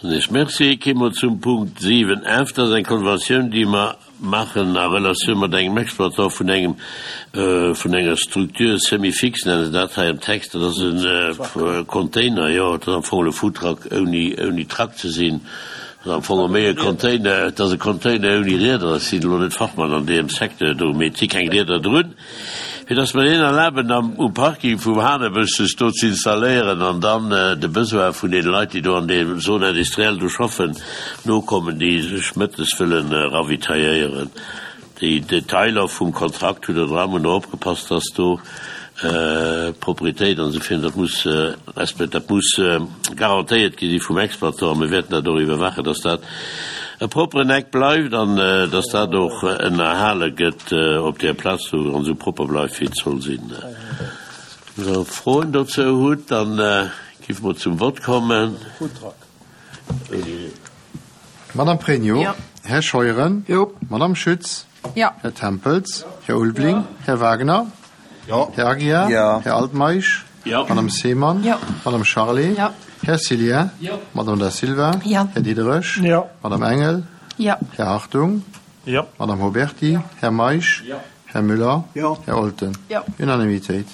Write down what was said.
Ech merci. Kéime mer zum Punkt 7 F. Dat ass eng Konventioun, déi mer maachen a Relatioun mat engem Exploitant vun engem, vun enger Structure semi-fixe, nenne se dat hei am Text. Dat ass e Container, jo, dat ass am Fong e Foodtruck ouni, ouni Truck ze sinn. Dat ass am Fong méi e Container, et ass e Container ouni Rieder. Ech sinn elo net Fachmann an deem Secteur do, mee et si keng Rieder drun. Fir dass mer deenen erlaben, am, um Parking vum Hanebësch sech do ze installéieren an dann de Besoin vun deene Leit, déi do an deem Zone industrielle do schaffen, nokommen, déi sech mëttes wëlle ravitailléieren. Déi Detailer vum Kontrakt hutt Der dran. Mer hunn och opgepasst, dass do d'Propriétéit an esou virun, dat muss respekt, dat muss garantéiert gi si vum Exploitant a mir wäerten dat och iwwerwaachen, dass dat e propperen Eck bleift an dass dat och ënnerhale gëtt op där Plaz do an esou propper bleift wéi et soll sinn. Wann Der Froen dozou hutt, da géife mer zum Vott kommen. Madame Pregno, Här Scheuren, Madame Schütz, Här Tempels, Här Ulveling, Här Wagner, Här Aguiar, Här Altmeisch, Madame Seemann, Madame Charlé, Här Cillien, Madame Da Silva, Här Diderich, Madame Engel, Här Hartung, Madame Huberty, Här Meisch, Här Müller, Här Olten. Unanimitéit.